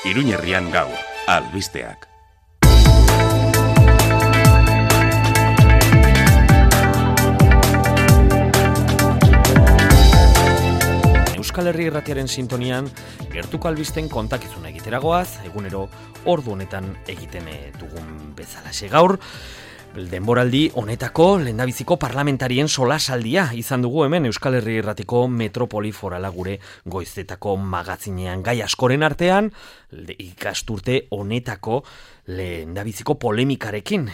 Iruñerrian gaur, albisteak. Euskal Herri Irratiaren sintonian, gertuko albisten kontakizuna egiteragoaz, egunero ordu honetan egiten dugun bezalaxe gaur. Denboraldi honetako lehendabiziko parlamentarien solasaldia izan dugu hemen Euskal Herri Irratiko Metropoli Forala gure goizetako magazinean. Gai askoren artean, ikasturte honetako lehendabiziko polemikarekin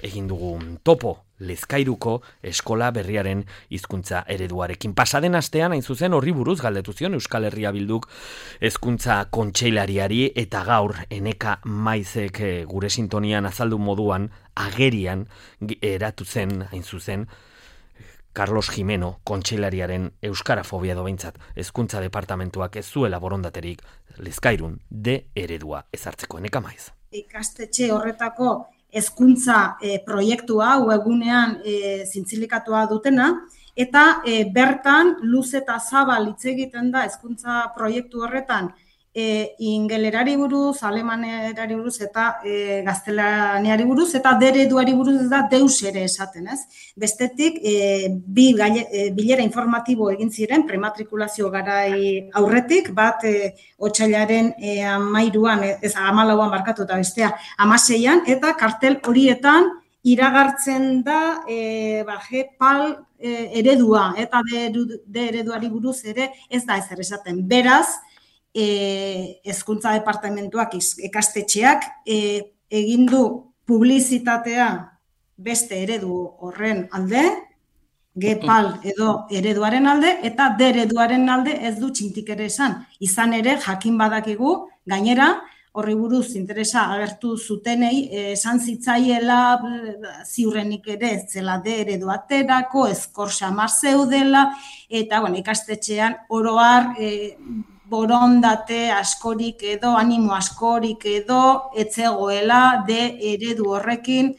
egin dugu topo. Lezkairuko eskola berriaren hizkuntza ereduarekin. Pasaden astean, hain zuzen, horri buruz galdetu zion Euskal Herria Bilduk hezkuntza kontseilariari eta gaur Eneka Maizek gure sintonian azaldu moduan agerian eratu zen, hain zuzen, Carlos Jimeno kontseilariaren euskarafobia behintzat hezkuntza departamentuak ez zuela borondaterik Lezkairun eredua ezartzeko. Eneka Maiz. Ikastetxe horretako hezkuntza proiektua webunean zintzilikatoa dutena, eta bertan luz eta zabal hitz egiten da hezkuntza proiektu horretan ingelerari buruz, alemanerari buruz eta gaztelaniari buruz, eta ereduari buruz ez da deus ere esaten, ez? Bestetik, bilera informatibo egin ziren, prematrikulazio garai aurretik, bat otsailaren 13an, ez 14an markatu eta bestea 16an, eta kartel horietan iragartzen da GEPAL eredua, eta ereduari buruz ere ez da ezer esaten. Beraz, hezkuntza departamentuak ikastetxeak egin du publizitatea beste eredu horren alde, GEPAL edo ereduaren alde, eta ereduaren alde ez du txintik ere esan. Izan ere, jakin badakigu, gainera, horri buruz interesa agertu zutenei, esan zitzaiela ziurrenik ere ez zela eredu aterako, ezkor xamar zeudela, eta ikastetxean oro har borondate askorik edo, animo askorik edo, etzegoela eredu horrekin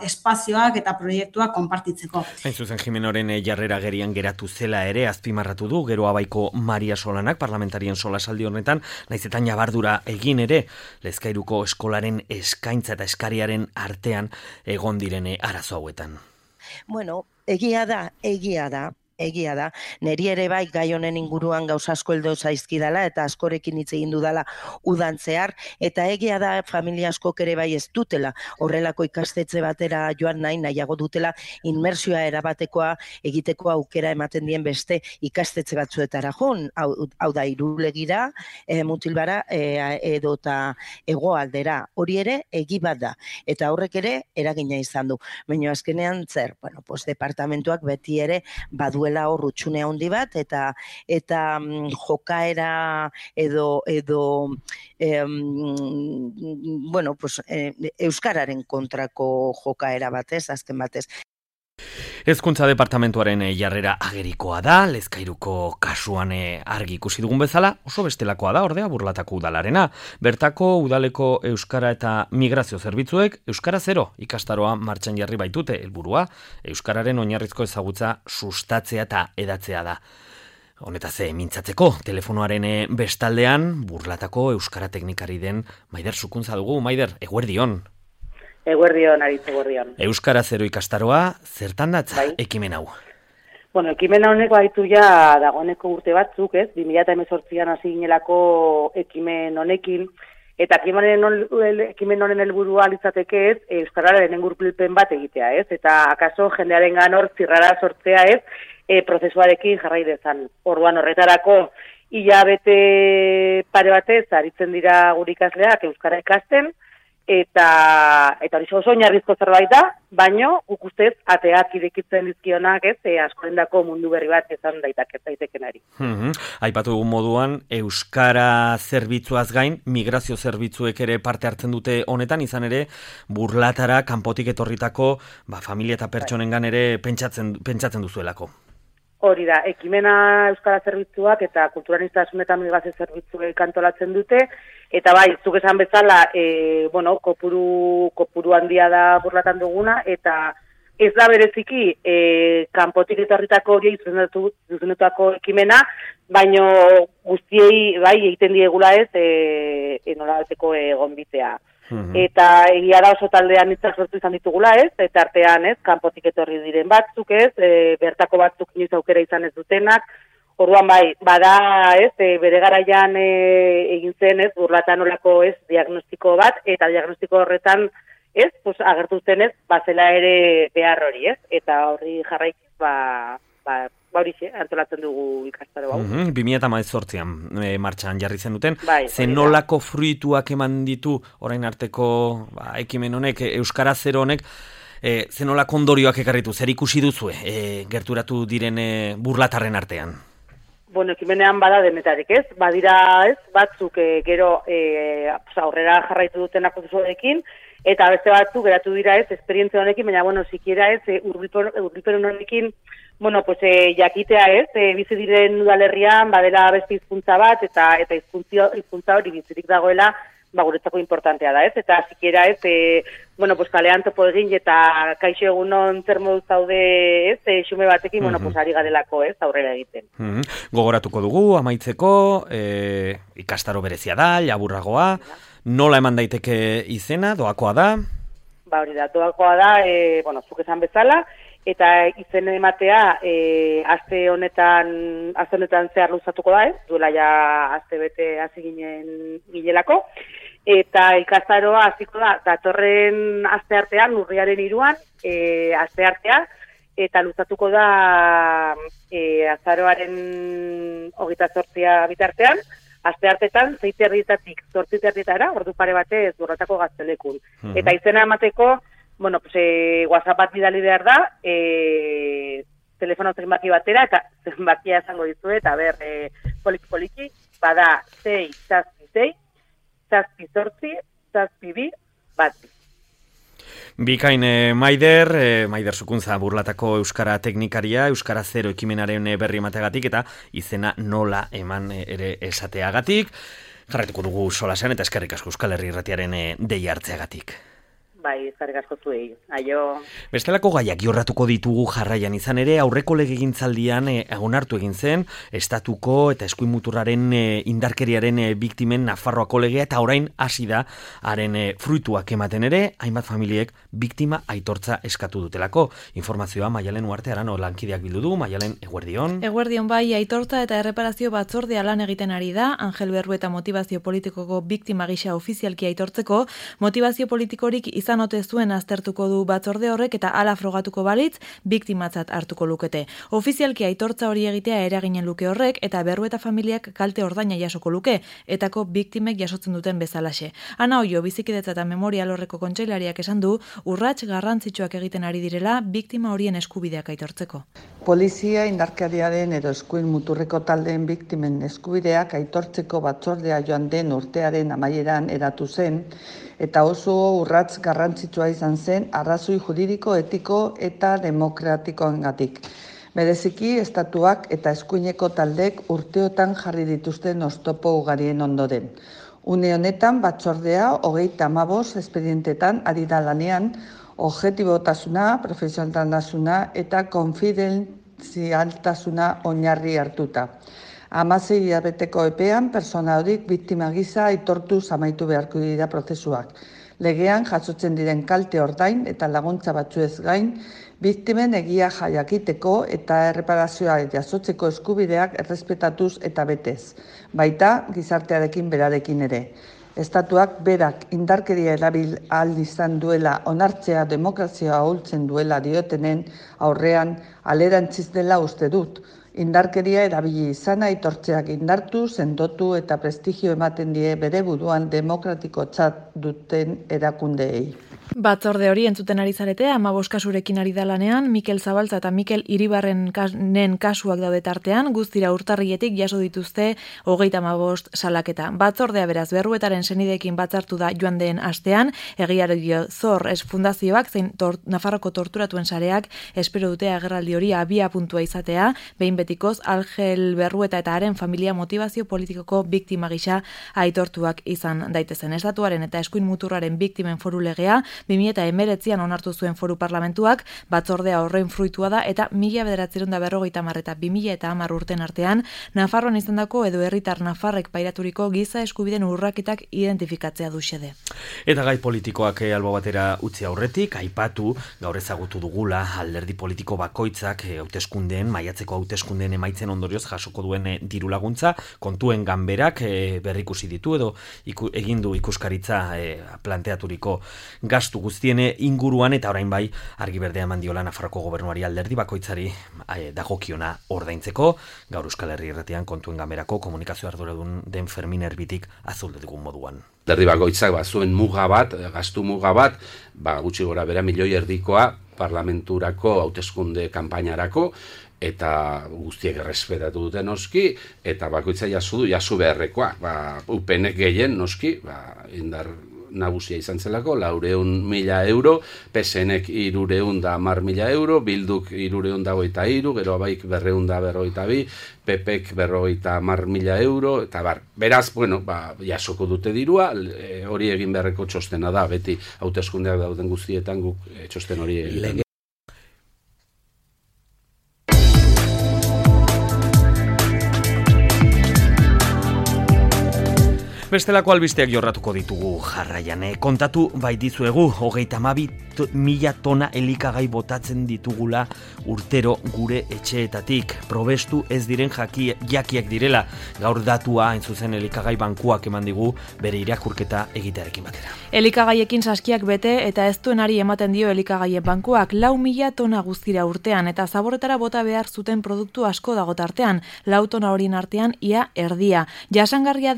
espazioak eta proiektuak konpartitzeko. Hain zuzen Jimenoren jarrera agerian geratu zela ere azpimarratu du, gero abaiko Maria Solanak parlamentarien solasaldi honetan, naizetan jabardura egin ere, Lezkairuko eskolaren eskaintza eta eskariaren artean egon direne arazo hauetan. Bueno, egia da, neri ere bai gai honen inguruan gauza asko heldu zaizkidala eta askorekin hitz egin dudala udan zehar, eta egia da familia askok ere bai ez dutela horrelako ikastetxe batera joan nahiago dutela inmersioa erabatekoa egiteko aukera ematen dien beste ikastetxe batzuetara joan, hau da Irulegira, Mutilbara edo eta hegoaldera, hori ere egi bat da, eta horrek ere eragina izan du, baina azkenean zer, departamentuak beti ere baduela hor utxune handi bat, eta jokaera edo euskararen kontrako jokaera batez, azken batez. Hezkuntza departamentuaren jarrera agerikoa da, Lezkairuko kasuan argi ikusi dugun bezala, oso bestelakoa da, ordea Burlatako udalarena. Bertako udaleko euskara eta migrazio zerbitzuek euskara 0 ikastaroa martxan jarri baitute, helburua euskararen oinarrizko ezagutza sustatzea eta edatzea da. Honetaz mintzatzeko, telefonoaren bestaldean Burlatako euskara teknikari den Maider Sukuntza dugu. Maider, eguerdion. Eguerdion, aritz eguerdion. Euskara 0 ikastaroa, zertan datza ekimen hau? Ekimen honeko baitu ja dagoeneko urte batzuk, 2018an hasi ginelako ekimen honekin, eta ekimen honen helburua litzateke euskararen ingurupilpen bat egitea, eta akaso jendearengan hor zirrara sortzea prozesuarekin jarrai dezan. Orduan horretarako hilabete pare batez aritzen dira gure ikasleak euskara ikasten, eta hori oso oinarrizko zerbait da, baino guk ustez ateak irekitzen dizkionak, askorendako mundu berri bat izan daitekenari. Aipatu dugun moduan, euskara zerbitzuaz gain, migrazio zerbitzuek ere parte hartzen dute honetan, izan ere Burlatara kanpotik etorritako familia eta pertsonengan ere pentsatzen duzuelako. Hori da, ekimena euskara zerbitzuak eta kulturanistasun eta migrazio zerbitzuek antolatzen dute, eta bai, zuk esan bezala, kopuru handia da Burlatan duguna, eta ez da bereziki kanpotik etorritako hori zuzendutako ekimena, baino guztiei bai egiten diegula ez nolabateko gonbitea. Eta egia da oso taldean hitzak sortu izan ditugula, ez? Eta artean, ez, kanpotik etorri diren batzuk, ez? Bertako batzuk inoiz aukera izan ez dutenak. Orduan bai, bada, ez, bere garaian egin zen, ez, burlatanolako, ez, diagnostiko bat, eta diagnostiko horretan, ez, pues agertu zen, ez, bazela ere behar hori, ez? Eta horri jarraikiz, horixe, antolatzen dugu ikastaro hau. 2018an martxan jarri zen duten. Bai, zenolako fruituak eman ditu orain arteko ekimen honek, Euskara Zero honek, zenolako ondorioak ekarritu, zer ikusi duzue gerturatu diren burlatarren artean? Bueno, ekimenean bada denetarik, ez? Badira, ez, batzuk gero aurrera jarraitu dutenak prozesuarekin, eta beste batzuk geratu dira, ez, esperientzia honekin, baina, bueno, sikiera, ez, urbilpen honekin, bueno, pues jakitea, ez, bizi diren udalerrian badela beste hizkuntza bat, eta hizkuntza hori bizirik dagoela, guretzako importantea da, ez? Eta sikiera, ez, bueno, pues kalean topo egin eta kaixo egunon zer moduz zaude, ez, xume batekin, bueno, pues ari garelako, ez, aurrera egiten. Gogoratuko dugu, amaitzeko, ikastaro berezia da, laburragoa, nola eman daiteke izena, doakoa da? Hori da, doakoa da, bueno, zuk esan bezala, eta izen ematea aste honetan zehar luzatuko da, ez? Duela ja aste bete hasi ginelako. Eta ikastaroa hasiko da datorren asteartean, urriaren 3an, asteartea, eta luzatuko da azaroaren 28 bitartean, asteartetan 6:30 8:30 ordu pare batez Burlatako Gaztelekun. Eta izena emateko, bueno, pues WhatsApp bat bidali behar da, telefono zenbaki batera, eta zenbakia esango dizue, eta ber, poliki, bada 6 zazpi bat. Bikain Maider Zukuntza Burlatako Euskara teknikaria, Euskara Zero ekimenaren berri emateagatik eta izena nola eman ere esateagatik. Jarraituko dugu solasean eta eskerrik asko Euskal Herri Irratiaren deia hartzeagatik. Bai, eskerrik asko zuei. Aio. Bestelako gaiak jorratuko ditugu jarraian izan ere, aurreko legegintzaldian onartu egin zen, estatuko eta eskuin muturraren indarkeriaren biktimen Nafarroako legea, eta orain hasi da haren fruituak ematen ere, hainbat familiek biktima aitortza eskatu dutelako. Informazioa Maialen Uarte Arano lankideak bildu du. Maialen, eguerdion. Eguerdion bai, aitortza eta erreparazio batzordea lan egiten ari da, Angel Berrueta motivazio politikoko biktima gisa ofizialki aitortzeko, motivazio politikorik izan ote zuen aztertuko du batzorde horrek eta hala frogatuko balitz biktimatzat hartuko lukete. Ofizialki aitortza hori egitea eraginen luke horrek eta Berrueta familiak kalte ordaina jasoko luke, etako biktimek jasotzen duten bezalaxe. Ana Oio, bizikidetza eta memoria alorreko kontseilariak esan du, urrats garrantzitsuak egiten ari direla biktima horien eskubideak aitortzeko. Polizia indarkeriaren edo eskuin muturreko taldeen biktimen eskubideak aitortzeko batzordea joan den urtearen amaieran eratu zen, eta oso urrats garrantzitsua izan zen arrazoi juridiko, etiko eta demokratikoengatik. Bereziki, estatuak eta eskuineko taldek urteotan jarri dituzten oztopo ugarien ondoren. Une honetan batzordea 35 espedientetan ari da lanean, objetibotasuna, profesionaltasuna eta konfidentzialtasuna oinarri hartuta. 16 hilabeteko epean, persona horik biktima gisa aitortuz amaitu beharko dira prozesuak. Legean jasotzen diren kalte ordain eta laguntza batzuez gain, biktimen egia jakiteko eta erreparazioa jasotzeko eskubideak errespetatuz eta betez, baita gizartearekin berarekin ere. Estatuak berak indarkeria erabil ahal izan duela onartzea demokrazia ahultzen duela diotenen aurrean alerantziz dela uste dut. Indarkeria erabili izana aitortzeak indartu, sendotu eta prestigio ematen die bere buruan demokratikotzat duten erakundeei. Batzorde hori entzuten ari zarete, 15 kasurekin ari da lanean, Mikel Zabaltza eta Mikel Iribarrenen kasuak daude tartean, guztira urtarrietik jaso dituzte 35 salaketa. Batzordea beraz Berruetaren senideekin batzartu da joan den astean, egiario Zor fundazioak zein Nafarroko torturatuen sareak espero dute agerraldi hori abia puntua izatea, behin betikoz Angel Berrueta eta haren familia motivazio politikoko biktima gisa aitortuak izan daitezen. Estatuaren eta eskuin muturraren biktimen foru legea 2019an onartu zuen Foru Parlamentuak, batzordea horren fruitua da eta 1950 eta 2010 urten artean, Nafarroan izandako edo herritar nafarrek pairaturiko giza eskubideen urraketak identifikatzea du xede. Eta gai politikoak albo batera utzi aurretik, aipatu gaur ezagutu dugula alderdi politiko bakoitzak hauteskundeen, maiatzeko hauteskundeen emaitzen ondorioz jasoko duen diru laguntza, kontuen ganberak berrikusi ditu edo egin du ikuskaritza planteaturiko gastu guztien inguruan eta orain bai argi berdea eman diola Nafarroko gobernuari alderdi bakoitzari dagokiona ordaintzeko. Gaur Euskal Herri Irratian kontuen ganberako komunikazio arduradun den Fermin Erbitik azaldu digun moduan. Alderdi bakoitzak zuen muga bat, gastu muga bat, gutxi gora bera 1,5 milioikoa parlamenturako hauteskunde kanpainarako, eta guztiek errespetatu dute noski, eta bakoitza jasu beharrekoa. UPNek gehien noski, indar nagusia izan zelako, 400.000 euro, PSNek 310.000 euro, Bilduk 323, gero abaik 242, PPek 50.000 euro, eta beraz, jasoko dute dirua, hori egin beharreko txostena da, beti hauteskundeak dauden guztietan guk txosten hori egiten. Bestelako albisteak jorratuko ditugu jarraian. Kontatu baitizuegu, 32.000 tona elikagai botatzen ditugula urtero gure etxeetatik. Probestu ez diren jakiak direla. Gaur datua hain zuzen elikagai bankuak eman digu bere irakurketa egitearekin batera. Elikagaiekin saskiak bete eta ez duenari ematen dio elikagaien bankuak 4.000 tona guztira urtean eta zaborretara bota behar zuten produktu asko dago tartean, 4 tona horien artean ia erdia. Jangarria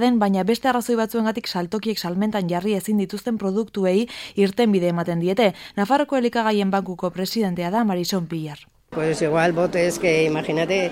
den, baina beste arrazoi batzuengatik saltokiek salmentan jarri ezin dituzten produktuei irtenbide ematen diete. Nafarroko elikagaien bankuko presidentea da Marison Pillar. Pues igual botes que, imagínate,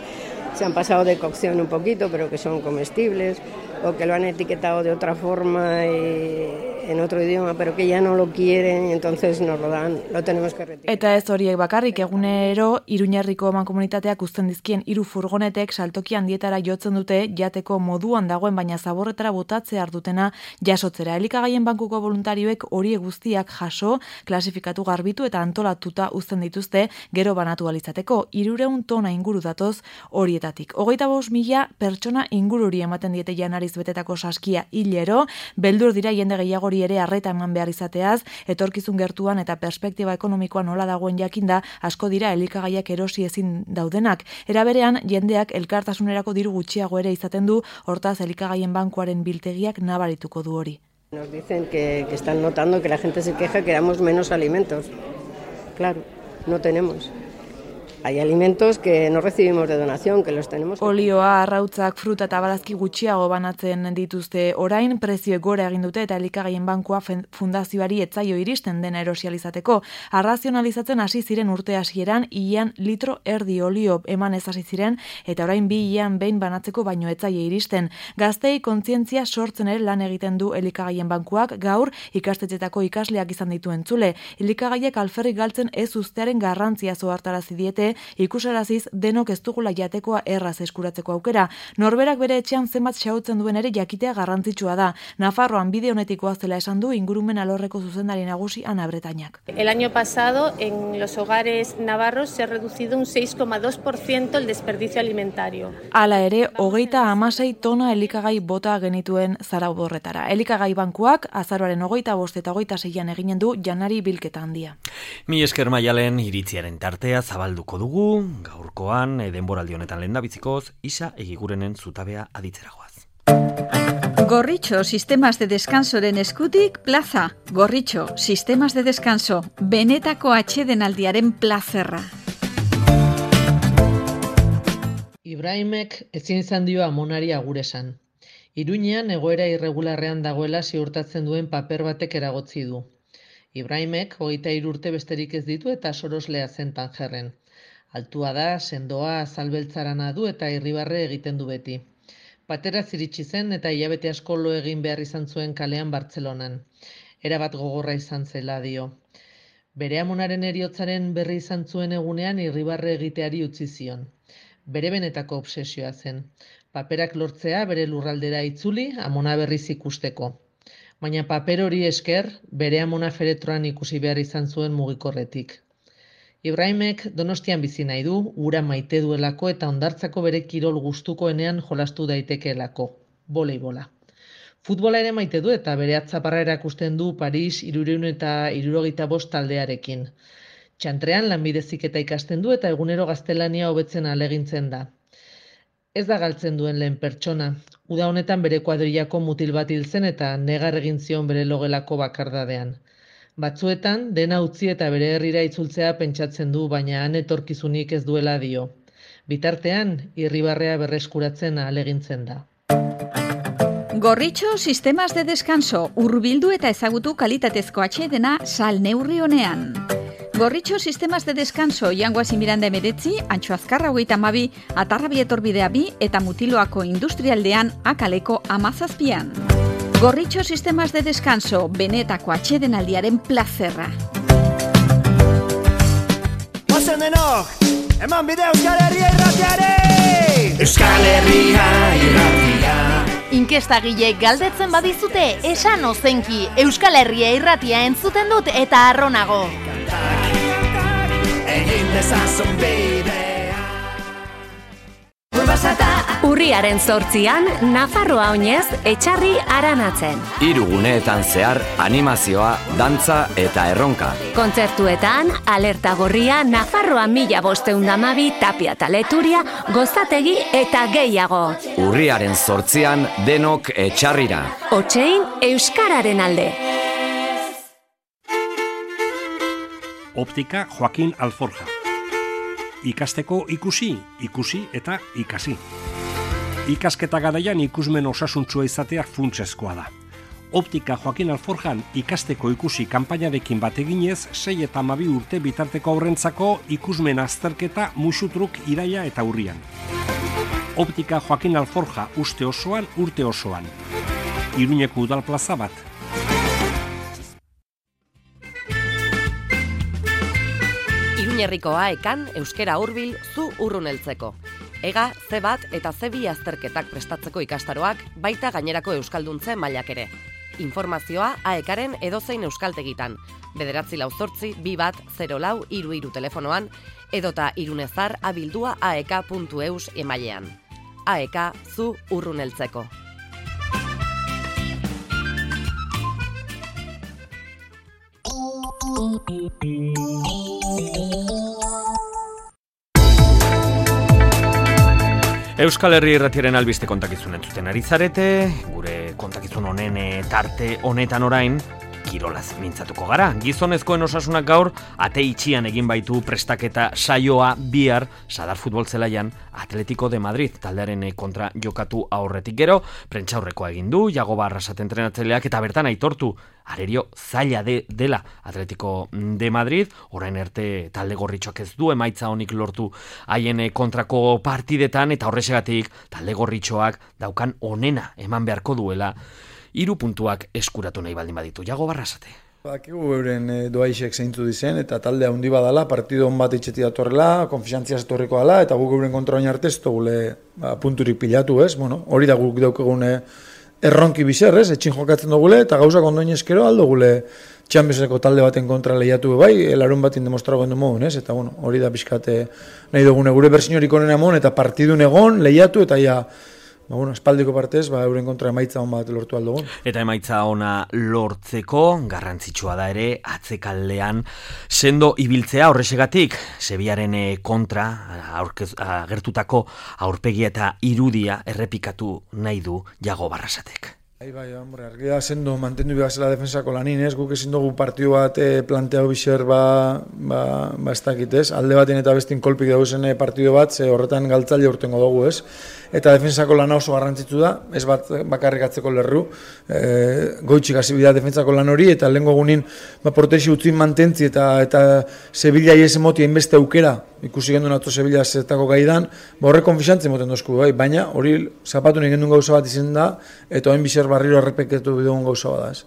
se han pasado de cocción un poquito, pero que son comestibles, o que lo han etiquetado de otra forma en otro idioma, pero que ya no lo quieren, entonces nos lo dan, lo tenemos que retirar. Eta ez horiek bakarrik, egunero Iruñerriko mankomunitateak uzten dizkien 3 furgonetek saltoki handietara jotzen dute jateko moduan dagoen baina zaborretara botatzea ardutena jasotzera. Elikagaien bankuko voluntarioek horiek guztiak jaso, klasifikatu, garbitu eta antolatuta uzten dituzte gero banatu alizateko. 300 tona inguru datoz horietatik. 25.000 pertsona ingururi ematen diete janariz betetako saskia hilero, beldur dira jende gehiagori ere arreta eman behar izateaz, etorkizun gertuan eta perspektiba ekonomikoa nola dagoen jakinda, asko dira elikagaiak erosi ezin daudenak. Era berean, jendeak elkartasunerako diru gutxiago ere izaten du, hortaz elikagaien bankuaren biltegiak nabarituko du hori. Nos dicen que están notando que la gente se queja que damos menos alimentos. Claro, no tenemos. Hay alimentos que no recibimos de donación, que los tenemos. Olioa, arrautzak, fruta eta barazki gutxiago banatzen dituzte orain, prezioek gora egin dute eta elikagaien bankua fundazioari etzaio iristen dena erosializateko. Arrazionalizatzen hasi ziren urte hasieran, ilean litro erdi olio eman ez hasi ziren eta orain 2 ilean behin banatzeko baino etzaio iristen. Gaztei kontzientzia sortzen ere lan egiten du elikagaien bankuak, gaur ikastetxetako ikasleak izan ditu entzule. Elikagaiek alferrik galtzen ez uztearen garrantzia zohartarazi diete, ikusaraziz denok ez dugula jatekoa erraz eskuratzeko aukera. Norberak bere etxean zenbat xahutzen duen ere jakitea garrantzitsua da. Nafarroan bide honetikoa zela esan du ingurumen alorreko zuzendari nagusi Ana Bretañak. El año pasado en los hogares navarros se ha reducido un 6,2% el desperdicio alimentario. Hala ere, 36 tona elikagai bota genituen Zaraudorretara. Elikagai bankuak azaroaren 25 eta 26an eginen du janari bilketa handia. Mi esker Maialen iritziaren tartea zabalduko dugu, gaurkoan denboraldi honetan lehendabizikoz, Isa Egigurenen zutabea aditzeragoaz. Gorritxo, sistemas de descansoren eskutik, plaza. Gorritxo, sistemas de descanso, benetako atsedenaldiaren plazerra. Ibrahimek ezin izan dio amonari agur esan. Iruñean egoera irregularrean dagoela ziurtatzen duen paper batek eragotzi du. Ibrahimek 23 urte besterik ez ditu eta soroslea zen Tanjerren. Altua da, sendoa, azalbeltzarana du eta irribarre egiten du beti. Patera ziritsi zen eta hilabete asko lo egin behar izan zuen kalean Bartzelonan. Erabat gogorra izan zela dio. Bere amonaren heriotzaren berri izan zuen egunean irribarre egiteari utzi zion. Bere benetako obsesioa zen. Paperak lortzea bere lurraldera itzuli, amona berriz ikusteko. baina paper hori esker bere amona feretroan ikusi behar izan zuen mugikorretik. Ibrahimek Donostian bizi nahi du, ura maite duelako eta hondartzako bere kirol gustukoenean jolastu daitekeelako, voleibola. Futbola ere maite du eta bere atzaparra erakusten du Paris 375 taldearekin. Txantrean lanbide heziketa ikasten du eta egunero gaztelania hobetzen ahalegintzen da. Ez da galtzen duen lehen pertsona. Uda honetan bere kuadrillako mutil bat hil zen eta negar egin zion bere logelako bakardadean. Batzuetan, dena utzi eta bere herrira itzultzea pentsatzen du, baina han etorkizunik ez duela dio. Bitartean, irribarrea berreskuratzen ahalegintzen da. Gorritxo sistemas de descanso, hurbildu eta ezagutu kalitatezko atsedena salneurri honean. Gorritxo sistemas de descanso Jangoasi Miranda 19, Antxo Azkarra 22, Atarrabi Etorbidea 2 eta Mutiloako Industrialdean Akaleko 17. Gorritxo sistemas de descanso, benetako atsedenaldiaren plazerra. Ozen denok, eman bide Euskal Herria irratiare! Euskal Herria irratia. Inkestagileek galdetzen badizute, esan ozenki, Euskal Herria irratia entzuten dut eta arronago. Egin dezazun bidea. Urriaren 8an, Nafarroa oinez, etxarri aranatzen. 3 guneetan zehar, animazioa, dantza eta erronka. Kontzertuetan, alerta gorria, Nafarroa 1512 Tapia eta Leturia, gozategi eta gehiago. Urriaren 8an, denok etxarrira. Otsein, Euskararen alde. Optika Joaquin Alforja. Ikasteko ikusi eta ikasi. Ikasketa garaian ikusmen osasuntsua izatea funtsezkoa da. Optika Joaquin Alforjan ikasteko ikusi kanpainarekin bat eginez, 6 eta 12 urte bitarteko aurrentzako ikusmen azterketa musutruk iraia eta urrian. Optika Joaquin Alforja uste osoan, urte osoan. Iruñeko udal plaza bat. Iruñerriko AEkan euskera hurbil zu urruneltzeko. Ega, C1 eta C2 azterketak prestatzeko ikastaroak, baita gainerako euskalduntze mailak ere. Informazioa AEkaren edozein euskaltegitan, 948-2104-33 telefonoan, edota irunezar abildua aeka.eus emailean. AEka zu urruneltzeko. Euskal Herri irratiaren albiste kontakizun entzuten ari zarete, gure kontakizun honen tarte honetan orain, kirolaz mintzatuko gara. Gizonezkoen osasunak gaur, ate itxian egin baitu prestaketa saioa bihar Sadar futbol zelaian Atletico de Madrid taldearen kontra jokatu aurretik gero, prentsaurrekoa egin du, Jagoba Arrasate entrenatzaileak eta bertan aitortu arerio zaila dela Atletico de Madrid, orain arte talde gorritxoak ez du emaitza honik lortu haien kontrako partidetan eta horrexegatik talde gorritxoak daukan onena eman beharko duela 3 puntuak eskuratu nahi baldin baditu. Jagoba Arrasate. Bakigu euren doaixek zeintzu dizen eta taldea handi badala, partido on bat itxeti datorrela, konfiantziaz etorriko dela eta guk euren kontra oin arte ez dugule punturik pilatu, ez? Bueno, hori da guk daukegun erronki bizer, ez? Etxin jokatzen dugule eta gauzak ondoin eskero aldo gule Championseko talde baten kontra lehiatu bai, larun batin demostrago gendu modun, ez? Eta bueno, hori da pixkate nahi dugune gure bersiorik onena mon eta partidun egon lehiatu eta ja espaldiko partez, euren kontra emaitza on bat lortu aldogun. Eta emaitza ona lortzeko, garrantzitsua da ere, atzekaldean sendo ibiltzea horrexegatik, Sevillaren kontra agertutako aurpegia eta irudia errepikatu nahi du Jagoba Arrasatek. Bai, hombre, argia sendo mantendu behazela defensako lanin, ez? Guk ezin dugu partidu bat planteau bizer ez dakit, ez? Alde baten eta bestin kolpik dauzen partidu bat, ze horretan galtzaile urtengo dugu, ez? Eta defensako lana oso garrantzitsu da, ez bat bakarrik atzeko lerru, goitxik hasi bida defensako lan hori, eta lehenko egunin portexi utzin mantentzi eta Sevilla iese moti hainbeste aukera, ikusi gendun atzo Sevilla zetako gaidan, horre konfixantzen moten dozku, baina hori zapatu nahi gendun gauza bat izen da, eta hain bizer barriro errepeketu bidegun gauza bat da, ez.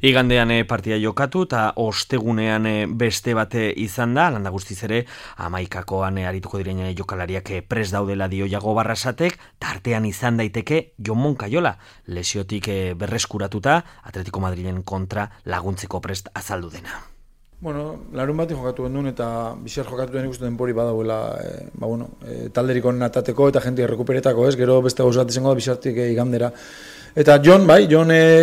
Igandean partida jokatu eta ostegunean beste bate izan da, landa guztiz ere, 11koan arituko diren jokalariak prest daudela dio Jagoba Arrasatek, tartean izan daiteke Jon Moncayola, lesiotik berreskuratuta Atletico Madrilen kontra laguntzeko prest azaldu dena. Bueno, larun bati jokatu gendun eta bizar jokatu den ikusten denpori badauela talderik onen atateko eta jentik rekuperetako, ez? Gero beste gauza bat izango da bizartik igandera. Eta Jon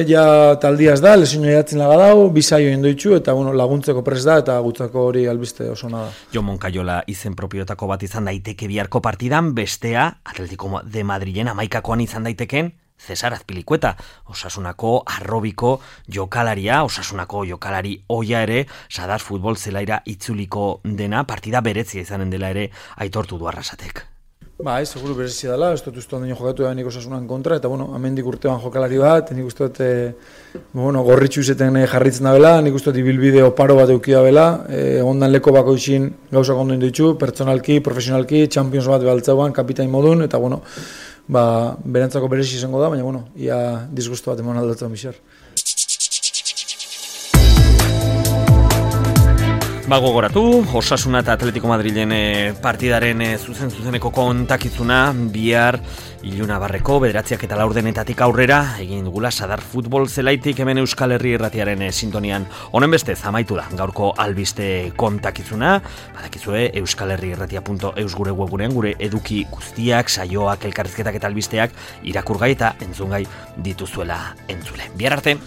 ja taldiaz da, lesio jatzen laga dau, bizaio indoitxu eta laguntzeko prest da eta gutzako hori albiste oso nada. Jon Moncayola izen propiotako bat izan daiteke biharko partidan, bestea Atletico de Madrilen 11koan izan daiteken Cesar Azpilicueta, Osasunako arrobiko jokalaria, Osasunako jokalari oia ere, Sadar futbol zelaira itzuliko dena, partida beretzia izanen dela ere aitortu du Arrasatek. Seguru berezia dela, ez dut uste ondaino jokatu da nik Osasunan kontra, eta amendik urtean jokalari bat, nik uste dut gorritxu izeten jarritzen da bela, nik uste dut ibilbide oparo bat eukia bela, ondan leko bako izin gauzak ondo inditu, pertsonalki, profesionalki, Champions bat behaltzauan, kapitain modun, eta berantzako berezi izango da, baina ia disgustu bat emon aldatzen bizar. Gogoratu, Osasuna eta Atletico Madrilen partidaren zuzeneko kontakizuna bihar Iluna Barreko 9:04 aurrera egin dugula Sadar futbol zelaitik hemen Euskal Herri Irratiaren sintonian. Honen bestez amaitu da gaurko albiste kontakizuna. Badakizue euskalherriirratia.eus gure webgunean gure eduki guztiak, saioak, elkarrizketak eta albisteak irakurgai eta entzungai dituzuela entzule. Bihar arte!